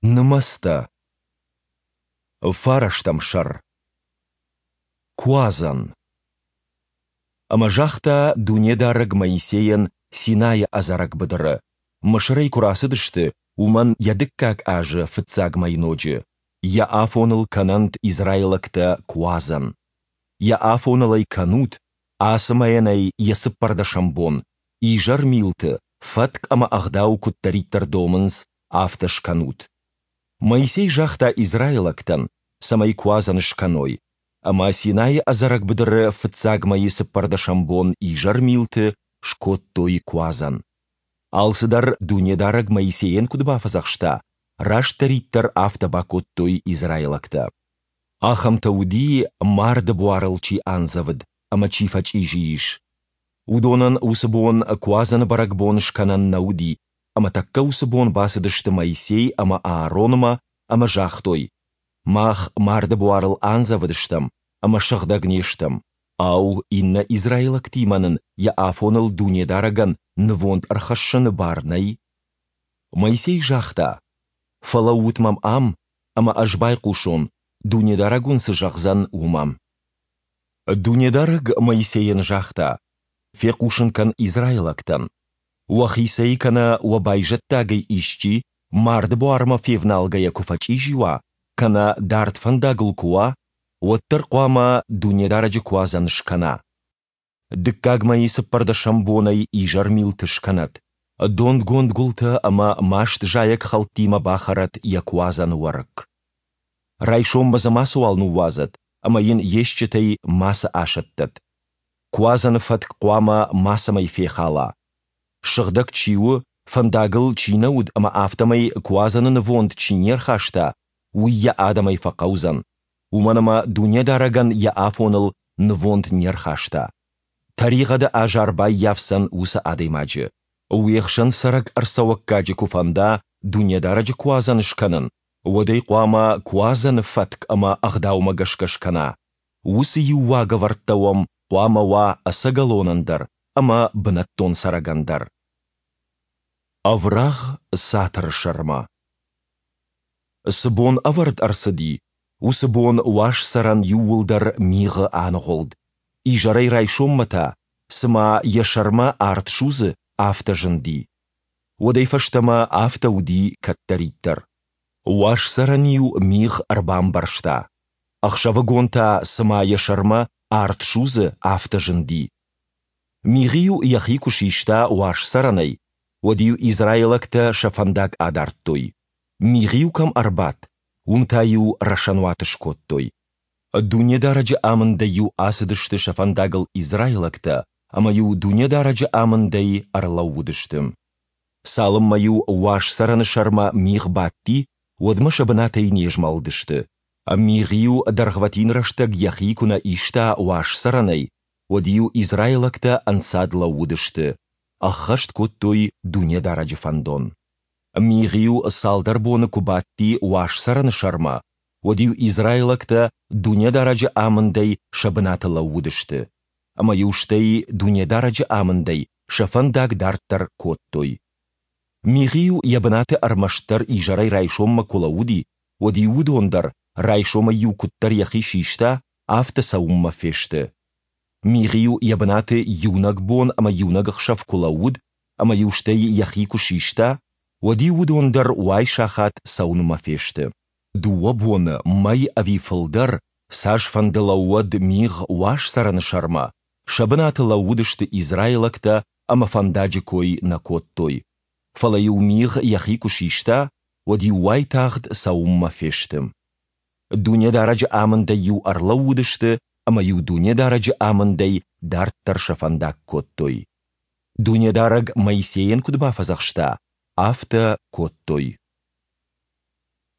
Нымӕцтӕ. Фарӕстӕм сӕр. Куадзӕн. Ӕмӕ загъта Дунедарӕг Моисейӕн Синайы ӕдзӕрӕг быдыры, Мысырӕй куы рацыдысты, уымӕн йӕ дыккаг азы фыццаг мӕйноджы: Йӕ афоныл кӕнӕнт израилӕгтӕ Куадзӕн. Йӕ афоныл ӕй кӕнут, ацы мӕйӕн ӕй йӕ цыппӕрдӕсӕм бон, изӕрмилты, фӕтк ӕмӕ ӕгъдау куыддӕриддӕр домынц, афтӕ скӕнут. Моисей загъта израилӕгтӕн, цӕмӕй Куадзӕн скӕной, ӕмӕ Синайы ӕдзӕрӕг быдыры фыццаг мӕйы цыппӕрдӕсӕм бон изӕрмилты скодтой Куадзӕн. Алцыдӕр Дунедарӕг Моисейӕн куыд бафӕдзӕхста, растдӕриддӕр афтӕ бакодтой израилӕгтӕ. Ахӕмтӕ уыди, марды буарыл чи андзӕвыд ӕмӕ чи фӕчъизи ис. Уыдонӕн уыцы бон Куадзӕны бӕрӕгбон скӕнӕн нӕ уыди, ӕмӕ тӕккӕ уыцы бон бацыдысты Моисей ӕмӕ Ааронмӕ ӕмӕ загътой, Мах марды буарыл андзӕвыдыстӕм ӕмӕ сыгъдӕг не стӕм. Ау, иннӕ израилӕгтимӕ нын йӕ афоныл Дунедарӕгӕн нывонд ӕрхӕссыны бар нӕй? Моисей загъта, Фӕлӕуут мӕм ам, ӕмӕ ӕз байхъусон, Дунедарӕг уын цы зӕгъдзӕн, уымӕ. Дунедарӕг Моисейӕн загъта, Фехъусын кӕн израилӕгтӕн: Уӕхицӕй кӕнӕ уӕ байзӕддагӕй исчи марды буармӕ февналгӕйӕ куы фӕчъизи уа, кӕнӕ дард фӕндагыл куы уа, уӕддӕр хъуамӕ Дунедарӕджы куадзӕн скӕна. Дыккаг мӕйы цыппӕрдӕсӕм бонӕй изӕрмилты скӕнӕд, донгонд гуылтӕ ӕмӕ маст зайӕгхӕлттимӕ бахӕрӕд йӕ куадзӕны уӕрыкк. Райсоммӕ дзы мацыуал ныууадзӕд ӕмӕ йын йе стджытӕй мацы асӕттӕд. Куадзӕны фӕтк хъуамӕ мацӕмӕй фехӕла. Сыгъдӕг чи у, фӕндагыл чи нӕ уыд ӕмӕ афтӕмӕй Куадзӕны нывонд чи не рхаста, уый йӕ адӕмӕй фӕхъӕудзӕн, уымӕн ӕмӕ Дунедарӕгӕн йӕ афоныл нывонд не рхаста. Тӕригъӕды азар баййафдзӕн уыцы адӕймаджы. Уе хсӕн цӕрӕг ӕрцӕуӕггаджы куы фӕнда Дунедарӕджы Куадзӕн скӕнын, уӕд ӕй хъуамӕ Куадзӕны фӕтк ӕмӕ ӕгъдаумӕ гӕсгӕ скӕна. Уыцы иу уагӕвӕрдтӕ уӕм хъуамӕ уа ӕцӕгӕлонӕн дӕр ӕмӕ бынӕттон цӕрӕгӕн дӕр. Ӕврагъ цатыры сӕрмӕ. Цы бон ӕвӕрд ӕрцыди, уыцы бон уаз цӕрӕн иууылдӕр мигъы аныгъуылд, изӕрӕй райсоммӕ та, цыма йӕ сӕрмӕ арт судзы, афтӕ зынди. Уӕдӕй фӕстӕмӕ афтӕ уыди кӕддӕриддӕр. Уаз цӕрӕн-иу мигъ ӕрбамбӕрзта, ӕхсӕвыгон та, цыма йӕ сӕрмӕ арт судзы, афтӕ зынди. Мигъ-иу йӕхи куы систа уаз цӕрӕнӕй, уӕд-иу израилӕгтӕ сӕ фӕндаг адардтой. Мигъ-иу кӕм ӕрбадт, уым та-иу рӕсӕнуат скодтой. Дунедарӕджы амындӕй-иу ацыдысты сӕ фӕндагыл израилӕгтӕ ӕмӕ-иу Дунедарӕджы амындӕй ӕрлӕууыдысты. Цалынмӕ-иу уаз цӕрӕны сӕрмӕ мигъ бадти, уӕдмӕ сӕ бынатӕй не змӕлыдысты. Мигъ-иу дӕргъвӕтин рӕстӕг йӕхи куы нӕ иста уаз цӕрӕнӕй, уӕд-иу израилӕгтӕ ӕнцад лӕууыдысты, ӕххӕст кодтой Дунедарӕджы фӕндон. Мигъ-иу цалдӕр боны куы бадти уаз цӕрӕны сӕрмӕ, уӕд-иу израилӕгтӕ Дунедарӕджы амындӕй сӕ бынаты лӕууыдысты, ӕмӕ-иу стӕй Дунедарӕджы амындӕй сӕ фӕндаг дарддӕр кодтой. Мигъ-иу йӕ бынаты ӕрмӕстдӕр изӕрӕй райсоммӕ куы лӕууыди, уӕд-иу уыдон дӕр, райсомӕй-иу куыддӕр йӕхи систа, афтӕ цӕуынмӕ фесты. Мигъ-иу йӕ бынаты иунӕг бон ӕмӕ иунӕг ӕхсӕв куы лӕууыд ӕмӕ-иу стӕй йӕхи куы систа, уӕд-иу уыдон дӕр уайсахат цӕуынмӕ фесты. Дыууӕ боны, мӕй ӕви фылдӕр, цасфӕнды лӕууӕд мигъ уаз цӕрӕны сӕрмӕ, сӕ бынаты лӕууыдысты израилӕгтӕ ӕмӕ фӕндаджы кой нӕ кодтой. Фӕлӕ-иу мигъ йӕхи куы систа, уӕд-иу уайтагъд цӕуынмӕ фесты. Дунедарӕджы амындӕй-иу ӕрлӕууыдысты ӕмӕ-иу Дунедарӕджы амындӕй дарддӕр сӕ фӕндаг кодтой. Дунедарӕг Моисейӕн куыд бафӕдзӕхста, афтӕ кодтой.